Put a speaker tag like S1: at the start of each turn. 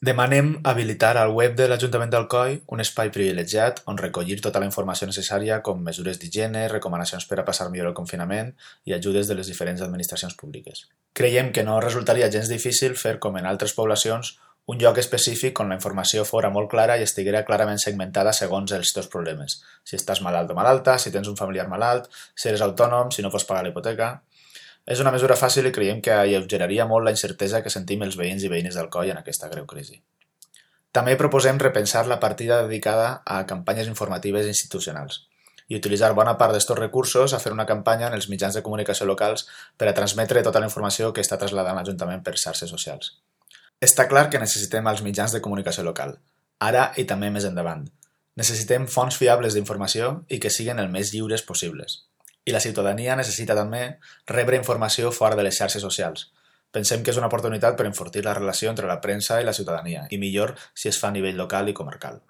S1: Demanem habilitar al web de l'Ajuntament d'Alcoi un espai privilegiat on recollir tota la informació necessària com mesures d'higiene, recomanacions per a passar millor el confinament i ajudes de les diferents administracions públiques. Creiem que no resultaria gens difícil fer, com en altres poblacions, un lloc específic on la informació fora molt clara i estiguera clarament segmentada segons els teus problemes. Si estàs malalt o malalta, si tens un familiar malalt, si eres autònom, si no pots pagar la hipoteca. És una mesura fàcil i creiem que alleugeraria molt la incertesa que sentim els veïns i veïnes d'Alcoi en aquesta greu crisi. També proposem repensar la partida dedicada a campanyes informatives institucionals i utilitzar bona part d'estos recursos a fer una campanya en els mitjans de comunicació locals per a transmetre tota la informació que està traslladant l'Ajuntament per xarxes socials. Està clar que necessitem els mitjans de comunicació local, ara i també més endavant. Necessitem fonts fiables d'informació i que siguin el més lliures possibles. I la ciutadania necessita també rebre informació fora de les xarxes socials. Pensem que és una oportunitat per enfortir la relació entre la premsa i la ciutadania, i millor si es fa a nivell local i comarcal.